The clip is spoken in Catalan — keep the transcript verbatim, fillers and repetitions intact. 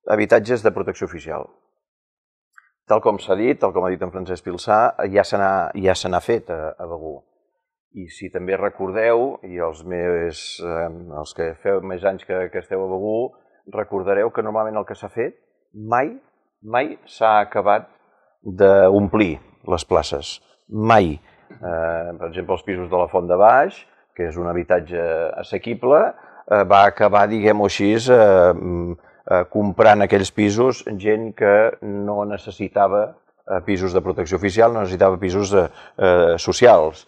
habitatges de protecció oficial. Tal com s'ha dit, tal com ha dit en Francesc Pilsà, ja se n'ha ja se n'ha fet a, a Begur. I si també recordeu, i els, més, eh, els que feu més anys que, que esteu a Begur, recordareu que normalment el que s'ha fet mai, mai s'ha acabat d'omplir les places. Mai. Eh, per exemple, els pisos de la Font de Baix, que és un habitatge assequible, eh, va acabar, diguem-ho així, eh, eh, comprant aquells pisos gent que no necessitava eh, pisos de protecció oficial, no necessitava pisos eh, eh, socials.